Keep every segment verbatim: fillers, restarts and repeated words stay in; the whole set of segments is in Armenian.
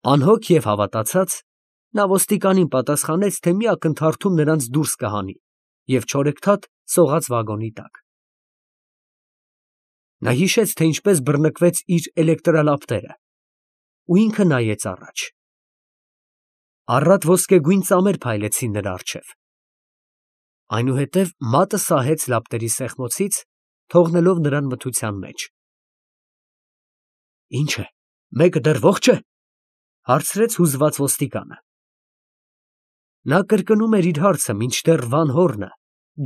Անհոգ և հավատացած, նա ոստիկանին պատասխանեց, թե մի ակնթարթում նրանց դուրս կհանի և չորեքթաթ սողաց վագոնի տակ։ Նա հիշեց, թե ինչպես բռնկվեց իր էլեկտրալապտերը, ու ինքը նայեց առաջ։ Առատ ոսկեգույն ծամեր փայլեցին նրա առջև։ Այնուհետև մատը սահեց լապտերի սեղմոցից, թողնելով նրան մթության մեջ։ Ի՞նչ է, մեկը դեռ ողջ է, ֊ հարցրեց հուզված ոստիկանը։ Նա կրկնում էր իր հարցը, մինչդեռ Վան Հորնը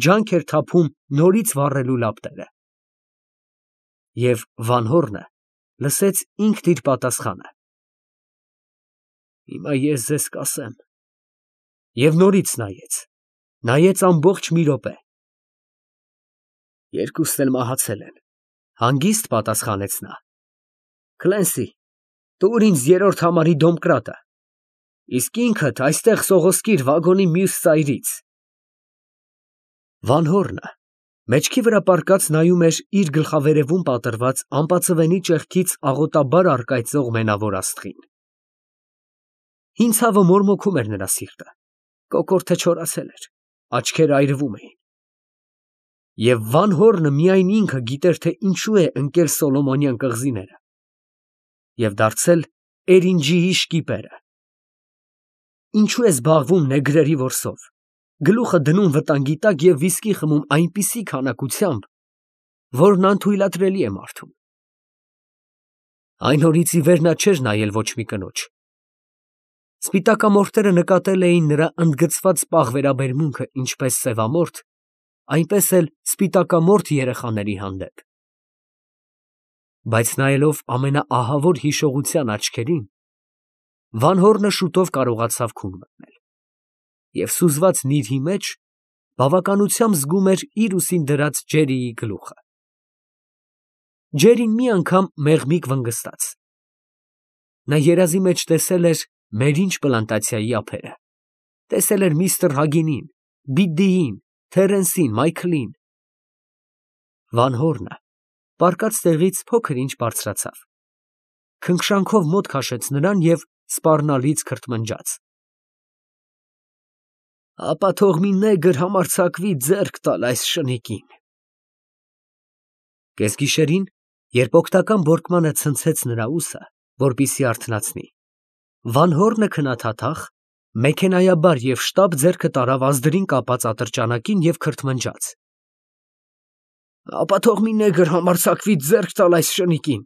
ջանք էր թափում նորից վառելու լապտերը։ Եվ Վան Հորնը լսեց ինքն իր պատասխանը. Հիմա ես ձեզ կասեմ։ Եվ նորից նայեց, նայեց ամբողջ մի րոպե։ Երկուսն էլ մահացել են, ֊ հանգիստ պատասխանեց նա։ Քլենսի, տուր ինձ երրորդ համարի դոմկրատը, իսկ ինքդ այստեղ սողոսկիր վագոնի մյուս ծայրից։ Վան Հորնը մեջքի վրա պառկած նայում էր իր գլխավերևում պատռված ամպածվենի ճեղքից աղոտաբար առկայծող մենավոր աստղին։ Հին ցավը մորմոքում էր նրա սիրտը, կոկորդը չորացել էր, աչքերը այրվում էին։ Եվ Վան Հորնը միայն ինքը գիտեր, թե ինչու է ընկել Սոլոմոնյան կղզիները և դարձել էրինջիի շկիպերը։ Ինչու է զբաղվում նեգրերի որսով, գլուխը դնում վտանգի տակ և վիսկի խմում այնպիսի քանակությամբ, որն անթույլատրելի է մարդուն։ Այն օրից ի վեր նա չէր նայել ոչ մի կնոջ։ Սպիտակամորթերը նկատել էին նրա ընդգծված պաղ վերաբերմունքը ինչպես սևամորթ, այնպես էլ սպիտակամորթ երեխաների հանդեպ։ Բայց նայելով ամենաահավոր հիշողության աչքերին, Վան Հորնը շուտով կարողացավ քուն մտնել և սուզված նիրհի մեջ բավականությամբ զգում էր իր ուսին դրած ջերիի գլուխը։ Ջերին մի անգամ մեղմիկ վնգստաց։ Նա երազի մեջ տեսել էր Մերինջ պլանտացիայի ափերը, տեսել էր միստր Հագինին, Բիդդիին, Թերենսին, Մայքլին։ Վան Հորնը պառկած տեղից փոքր-ինչ բարձրացավ, քնքշանքով մոտ քաշեց նրան և սպառնալից քրթմնջաց. Ապա թող մի նեգր համարձակվի ձեռք տալ այս շնիկին։ Կեսգիշերին, երբ օգնական բորկմանը ցնցեց նրա ուսը, որպեսզի արթնացնի, Վան Հորնը քնաթաթախ, մեքենայաբար և շտապ ձեռքը տարավ ազդրին կապած ատրճանակին և քրթմնջաց. Ապա թող մի նեգր համարձակվի ձեռք տալ այս շնիկին։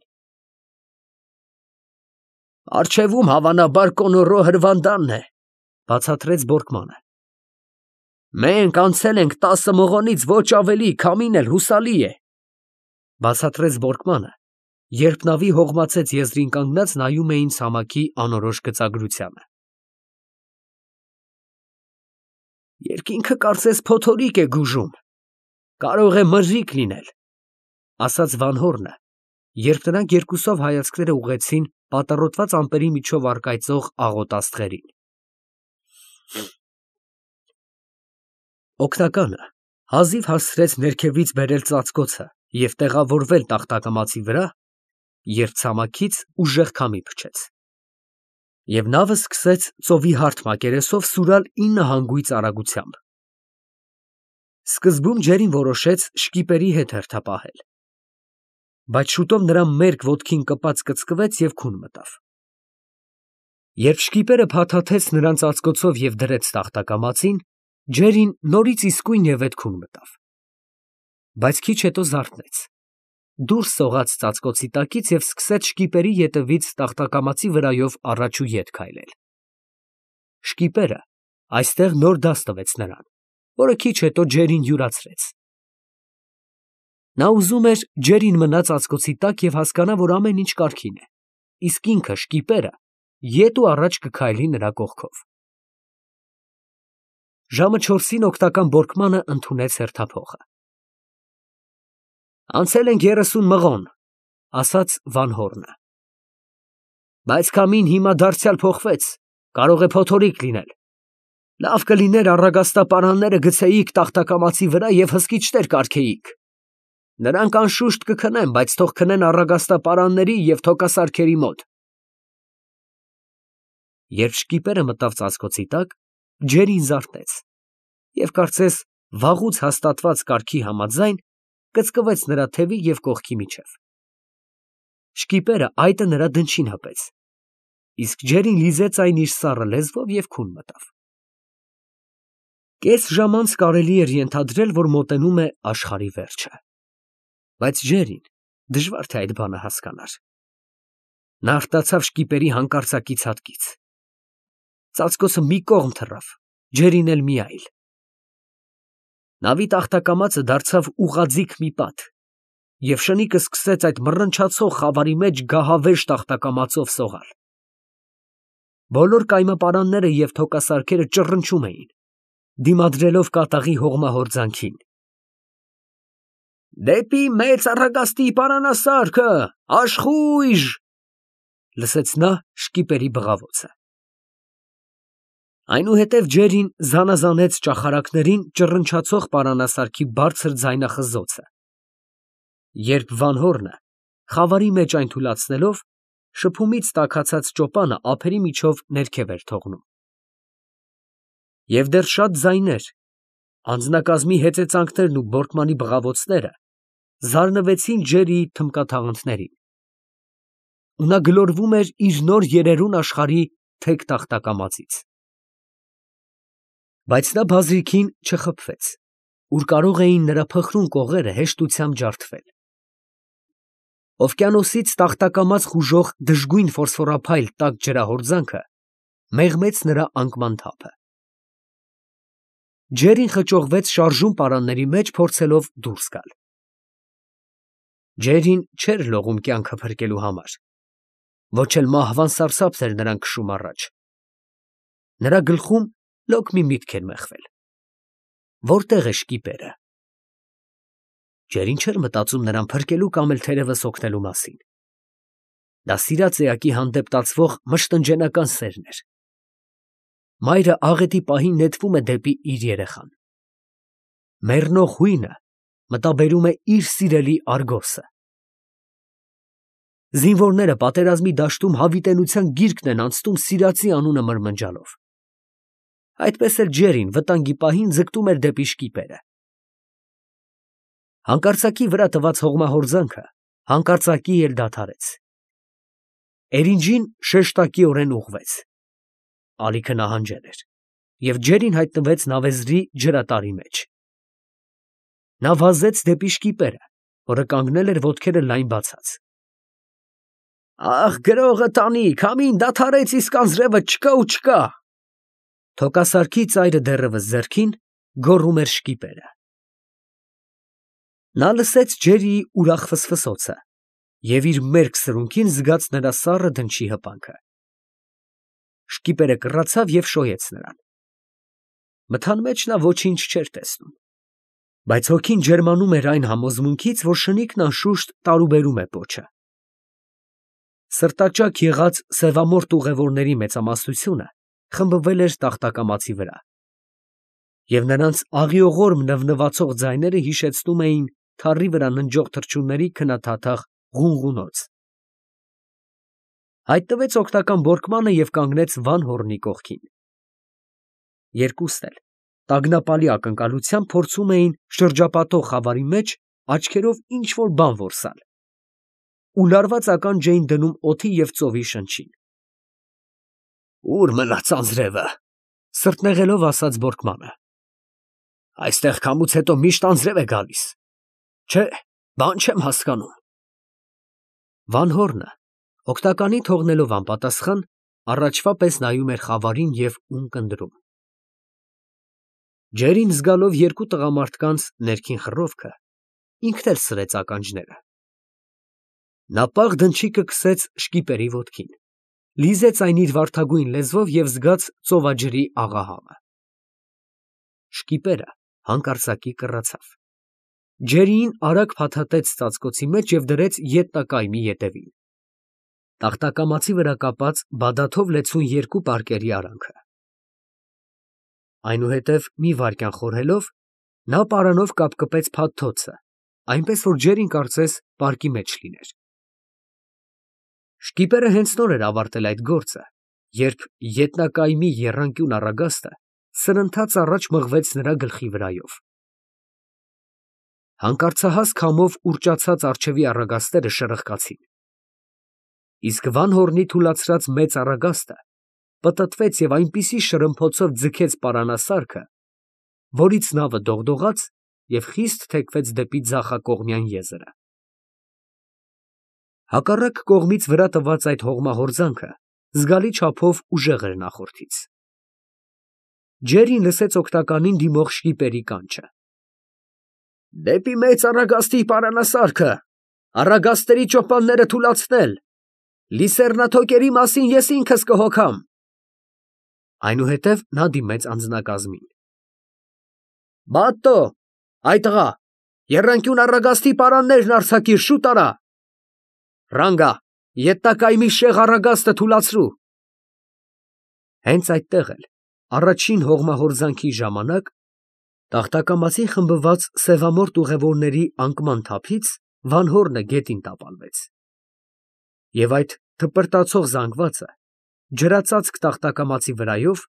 Առջևում հավանաբար Կոնորո հրվանդանն է, ֊ բացատրեց բորկմանը։ Մենք անցել ենք տասը մղոնից ոչ ավելի, քամին էլ հուսալի է, ֊ բացատրեց բորկմանը, երբ նավի հողմացեց եզրին կանգնած նայում էին ցամաքի անորոշ գծագրությանը։ Երկինքը կարծես փոթորիկ է գուժում, կարող է մրրիկ լինել, ֊ ասաց Վան Հորնը, երբ նրանք երկուսով հայացքները ուղղեցին պատառոտված ամպերի միջով առկայծող աղոտ աստղերին։ Օգնականը հազիվ հասցրեց ներքևից բերել ծածկոցը և տեղավորվել տախտակամածի վրա, երբ ցամաքից ուժեղ քամի փչեց, և նավը սկսեց ծովի հարթ մակերեսով սուրալ ինը հանգույց արագությամբ։ Սկզբում ջերին որոշեց շկիպերի հետ հերթապահել, բայց շուտով նրա մերկ ոտքին կպած կծկվեց և քուն մտավ։ Երբ շկիպերը փաթաթեց նրան ծածկոցով և դրեց տախտակամածին, ջերին նորից իսկույնևեթ քուն մտավ, բայց քիչ հետո զարթնեց, դուրս սողաց ծածկոցի տակից և սկսեց շկիպերի ետևից տախտակամածի վրայով առաջ ու ետ քայլել։ Շկիպերը այստեղ նոր դաս տվեց նրան, որը քիչ հետո ջերին յուրացրեց։ Նա ուզում էր ջերին մնա ծածկոցի տակ և հասկանա, որ ամեն ինչ կարգին է, իսկ ինքը՝ շկիպերը, ետ ու առաջ կքայլի նրա կողքով։ Ժամը չորսին օգնական բորկմանը ընդունեց հերթափոխը։ Անցել ենք երեսուն մղոն, ֊ ասաց Վան Հորնը։ Բայց քամին հիմա դարձյալ փոխվեց, կարող է փոթորիկ լինել։ Լավ կլիներ առագաստապարանները գցեիք տախտակամածի վրա և հսկիչներ կարգեիք։ Նրանք անշուշտ կքնեն, բայց թող քնեն առագաստապարանների և թոքասարքերի մոտ։ Երբ շկիպերը մտավ ծածկոցի տակ, ջերին զարթեց և կարծես վաղուց հաստատված կարգի համաձայն կծկվեց նրա թևի և կողքի միջև։ Շկիպերը այտը նրա դնչին հպեց, իսկ ջերին լիզեց այն իր սառը լեզվով և քուն մտավ։ Կես ժամ անց կարելի էր ենթադրել, որ մոտենում է աշխարհի վերջը, բայց ջերին դժվար թե այդ բանը հասկանար։ Նա արտացավ շկիպերի հանկարծակի ցատկից։ Ծածկոցը մի կողմ թռավ, ջերին էլ մի այլ։ Նավի տախտակամածը դարձավ ուղղաձիգ մի պատ, և շնիկը սկսեց այդ մռնչացող խավարի մեջ գահավեժ տախտակամածով սողալ։ Բոլոր կայմապարանները և թոկասարքերը ճռնչում էին, դիմադրելով կատաղի հողմահորձանքին։ «Դեպի մեծ առագաստի պարանասարքը, աշխույժ», լսեց նա շկիպերի բղավոցը։ Այնուհետև ջերին զանազանեց ճախարակներին ճռնչացող պարանասարքի բարձր ձայնախզոցը, երբ Վանհոռնը, խավարի մեջ այն թուլացնելով, շփումից տաքացած ճոպանը ափերի միջով ներքև էր թողնում։ Եվ դեռ շատ ձայներ, անձնակազմի հեծեծանքներն ու բորկմանի բղավոցները զարնվեցին ջերիի թմբկաթաղանթներին, ու նա գլորվում էր իր նոր երերուն աշխարհի թեք տախտակամածից։ Բայց նա բազրիքին չխաբվեց, ուր կարող էին նրա փխրուն կողերը հեշտությամբ ջարդվել։ Օվկիանոսից տախտակամաց խուժող դժգույն ֆոսֆորափայլ տաք ջրահորձանքը մեղմեց նրա անկման թափը։ Ջերին խճողվեց շարժուն պարանների մեջ, փորձելով դուրս գալ։ Ջերին չէր լողում կյանքը փրկելու համար, ոչ էլ մահվան սարսափն էր նրան քշում առաջ։ Նրա գլխում լոկ մի միտք էր մեղվել. որտե՞ղ է շկիպերը։ Ջերին չէր մտածում նրան փրկելու կամ էլ թերևս օգնելու մասին։ Դա սիրած էակի հանդեպ տածվող մշտնջենական սերն էր։ Մայրը աղետի պահին նետվում է դեպի իր երեխան։ Մեռնող հույնը մտաբերում է իր սիրելի Արգոսը։ Զինվորները պատերազմի դաշտում հավիտենության գիրկն են անցնում սիրածի անունը մրմնջալով։ Այդպես էլ ջերին վտանգի պահին ձգտում էր դեպի շկիպերը։ Հանկարծակի վրա տված հողմահորձանքը հանկարծակի էլ դադարեց։ Էրինջին շեշտակիորեն ուղղվեց։ Ալիքը նահանջել էր, և ջերին հայտնվեց նավեզրի ջրատարի մեջ։ Նա վազեց դեպի շկիպերը, որը կանգնել էր ոտքերը լայն բացած։ «Ախ, գրողը տանիք, համին դադարեց, իսկ անձրևը չկա ու չկա»։ Թոկասարքի ծայրը դեռևս ձեռքին, գոռում էր շկիպերը։ Նա լսեց ջերիի ուրախ ֆսֆսոցը և իր մերկ սրունքին զգաց նրա սառը դնչի հպանքը։ Շկիպերը կռացավ և շոյեց նրան։ Մթան մեջ նա ոչինչ չէր տեսնում, բայց հոգին ջերմանում էր այն համոզմունքից, որ շնիկն անշուշտ տարուբերում է պոչը։ Սրտաճաք եղած սևամորթ ուղևորների մեծամասնությունը խմբվել էր տախտակամածի վրա, և նրանց աղիողորմ նվնվացող ձայները հիշեցնում էին թառի վրա ննջող թռչունների քննադադաղ ղունղունոց։ Հայտնվեց օգնական բորկմանը և կանգնեց Վանհոռնի կողքին։ Երկուսն էլ տագնապալի ակնկալությամբ փորձում էին շրջապատող խավարի մեջ աչքերով ինչ֊որ բան որսալ ու լարված ականջ էին դնում օդի և ծովի շնչին։ «Ո՞ւր մնաց անձրևը», սրտնեղելով ասաց բորկմանը։ «Այստեղ քամուց հետո միշտ անձրև է գալիս, չէ, բան չեմ հասկանում»։ Վանհոռնը, օգնականի թողնելով անպատասխան, առաջվա պես նայում էր խավարին և ունկնդրում։ Ջերին զգալով երկու տղամարդկանց ներքին խռովքը, ինքն էլ սրեց ականջները։ Նա պաղ դնչիկը քսեց շկիպերի ոտքին, լիզեց այն իր վարդագույն լեզվով և զգաց ծովաջրի աղահամը։ Շկիպերը հանկարծակի կռացավ։ Ջերիին արագ փաթաթեց ծածկոցի մեջ և դրեց ետնակայմի ետևին, տախտակամածի վրա կապած բադաթով լեցուն երկու պարկերի արանքը։ Այնուհետև մի վայրկյան խորհելով, նա պարանով կապկպեց փաթթոցը, այնպես որ ջերին կարծես պարկի մեջ լիներ։ Շկիպերը հենց նոր էր ավարտել այդ գործը երբ ետնակայմի եռանկյուն առագաստը սրընթաց առաջ մղվեց նրա գլխի վրայով։ Հանկարծահաս քամով ուռճացած առջևի առագաստերը շրխկացին, իսկ Վանհորնի թուլացրած մեծ առագաստը պտտվեց և այնպիսի շրմփոցով ձգեց պարանասարքը, որից նավը դողդողաց և խիստ թեքվեց դեպի ձախակողմյան եզրը։ Հակառակ կողմից վրա տված այդ հողմահորձանքը զգալի չափով ուժեղ էր նախորդից։ Ջերին լսեց օգնականին դիմող շկիպերի կանչը. «Դեպի մեծ առագաստի պարանասարքը, առագաստերի ճոպանները թուլացնել, լիսեռնաթոկերի մասին ես ինքս կհոգամ»։ Այնուհետև նա դիմեց անձնակազմին. «Բատո, այ տղա, եռանկյուն առագաստի պարաններն արձակիր, շուտ արա. Ռանգա, ետնակայմի շեղ առագաստը թուլացրու»։ Հենց այդտեղ էլ, առաջին հողմահորձանքի ժամանակ, տախտակամածին խմբված սևամորթ ուղևորների անկման թափից Վանհորնը գետին տապալվեց, և այդ թպրտացող զանգվածը ջրածածկ տախտակամածի վրայով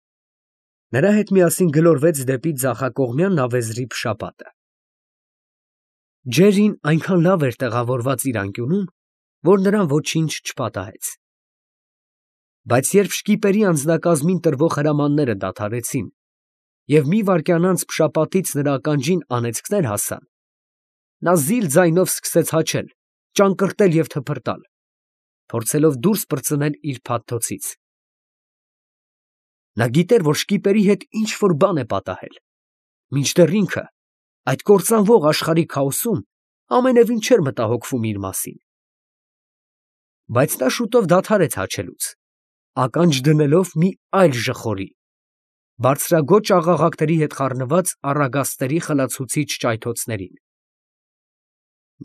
նրա հետ միասին գլորվեց դեպի ձախակողմյան նավեզրի փշապատը։ Ջերին այնքան լավ էր տեղավորված իր անկյունում, որ նրան ոչինչ չպատահեց։ Բայց երբ շկիպերի անձնակազմին տրվող հրամանները դադարեցին և մի վայրկյան անց փշապատից նրա ականջին անեծքներ հասան, նա զիլ ձայնով սկսեց հաչել, ճանկռտել և թփրտալ, փորձելով դուրս պրծնել իր փաթթոցից։ Նա գիտեր, որ շկիպերի հետ ինչ֊որ բան է պատահել, մինչդեռ ինքը այդ կործանվող աշխարհի քաոսում ամենևին չէր մտահոգվում իր մասին։ Բայց նա շուտով դադարեց հաչելուց, ականջ դնելով մի այլ ժխորի, բարձրաձոչ աղաղակների հետ խառնված առագաստերի խլացուցիչ ճայթոցներին։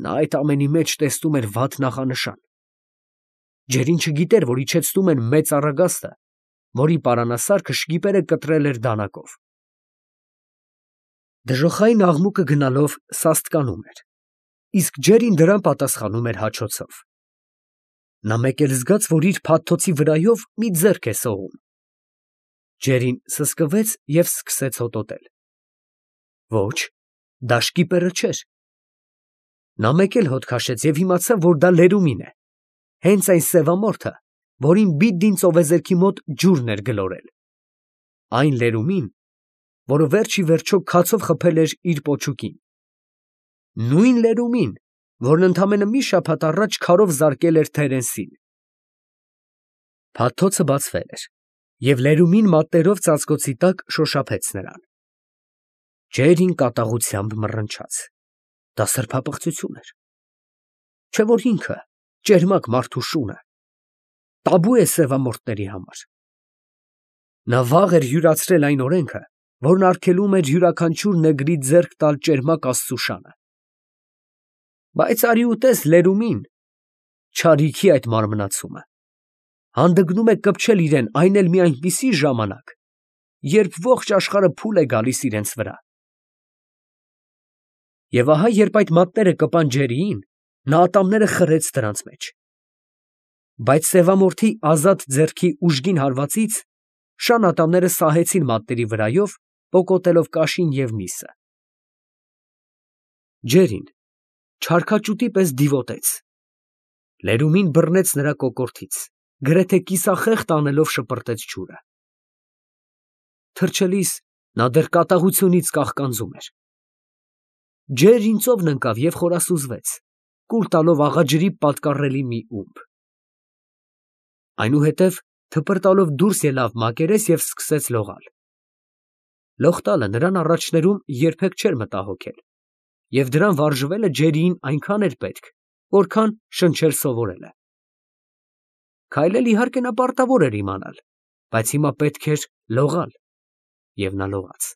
Նա այդ ամենի մեջ տեսնում էր վատ նախանշան։ Ջերին չգիտեր, որ իջեցնում են մեծ առագաստը, որի պարանասարքը շկիպերը կտրել էր դանակով։ Դժոխային աղմուկը գնալով սաստկանում էր, իսկ Ջերին դրան պատասխանում էր հաչոցով։ Նա մեկ էլ զգաց, որ իր փաթթոցի վրայով մի ձեռք է սողում։ Ջերին սսկվեց և սկսեց հոտոտել։ Ոչ, դա շկիպերը չէր։ Նա մեկ էլ հոտ քաշեց և իմացավ, որ դա լերումին է, հենց այն սևամորթը, որին բիդին ծովեզերքի մոտ ջուրն էր գլորել, այն լերումին, որը վերջ ի վերջո քացով խփել էր իր պոչուկին, նույն լերումին, որն ընդամենը մի շաբաթ առաջ քարով զարկել էր Թերենսին։ Փաթթոցը բացվել էր, և լերումին մատներով ծածկոցի տակ շոշափեց նրան։ Ջերին կատաղությամբ մռնչաց. դա սրբապղծություն էր, չէ՞ որ ինքը, ճերմակ մարդու շունը, տաբու է սևամորթների համար։ Նա վաղ էր յուրացրել այն օրենքը, որն արգելում էր յուրաքանչյուր նեգրի ձեռք տալ ճերմակ աստծու շանը։ Բայց արի ուտես լերումին, չարիքի այդ մարմնացումը, հանդգնում է կպչել իրեն այն էլ մի այնպիսի ժամանակ, երբ ողջ աշխարհը փուլ է գալիս իրենց վրա։ Եվ ահա երբ այդ մատները կպան Ջերիին, նա ատամները խրեց դրանց մեջ։ Բայց սևամորթի ազատ ձեռքի ուժգին հարվածից շան ատամները սահեցին մատների վրայով, պոկոտելով կաշին և միսը։ Ջերին չարքաճուտի պես դիվոտեց։ Լերումին բռնեց նրա կոկորդից, գրեթե կիսախեղդ անելով շպրտեց ջուրը։ Թռչելիս նա դեռ կատաղությունից կաղկանձում էր։ Ջերին ծովն ընկավ և խորասուզվեց, կուլ տալով աղաջրի պատկառելի մի ումբ։ Այնուհետև թպրտալով դուրս ելավ մակերես և սկսեց լողալ։ Լող տալը նրան առաջներում երբեք չէր մտահոգել, և դրան վարժվելը Ջերիին այնքան էր պետք, որքան շնչել սովորելը։ Քայլել իհարկե նա պարտավոր էր իմանալ, բայց հիմա պետք էր լողալ, և նա լողաց։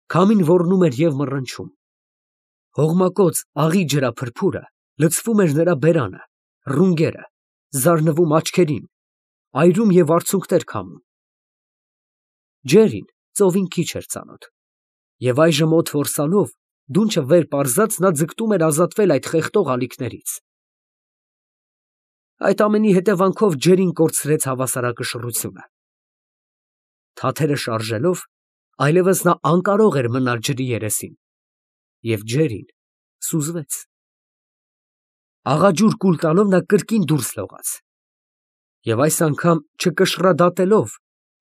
Քամին ոռնում էր և մռնչում։ Հողմակոծ աղի ջրափրփուրը լցվում էր նրա բերանը, ռունգերը, զարնվում աչքերին, այրում և արցունքներ քամում։ Ջերին ծովին քիչ էր ծանոթ, և այժմ օդ որսալով, դունչը վեր պարզած նա ձգտում էր ազատվել այդ խեղդող ալիքներից։ Այդ ամենի հետևանքով ջերին կորցրեց հավասարակշռությունը։ Թաթերը շարժելով, այլևս նա անկարող էր մնալ ջրի երեսին, և ջերին սուզվեց։ Աղաջուր կուլ տալով նա կրկին դուրս լողաց, և այս անգամ չկշռադատելով,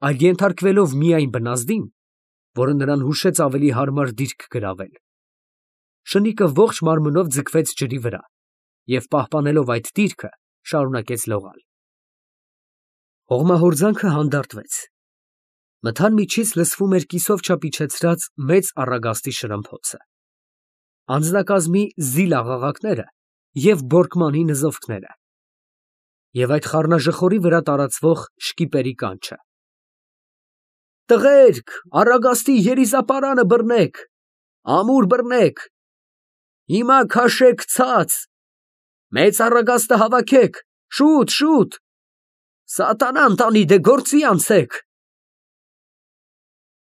այլ ենթարկվելով միայն բնազդին, որը նրան հուշեց ավելի հարմար դիրք գրավել, շնիկը ողջ մարմնով ձգվեց ջրի վրա և, պահպանելով այդ դիրքը, շարունակեց լողալ։ Հողմահորձանքը հանդարտվեց։ Մթան միջից լսվում էր կիսով չափ իջեցրած մեծ առագաստի շրմփոցը, անձնակազմի զիլ աղաղակները և բորկմանի նզովքները, և այդ խառնաժխորի վրա տարածվող շկիպերի կանչը. «Տղերք, առագաստի երիզապարանը բռնեք, ամուր բռնեք, հիմա քաշեք ցած, մեծ առագաստը հավաքեք, շուտ, շուտ, սատանան տանի, դե գործի անցեք»։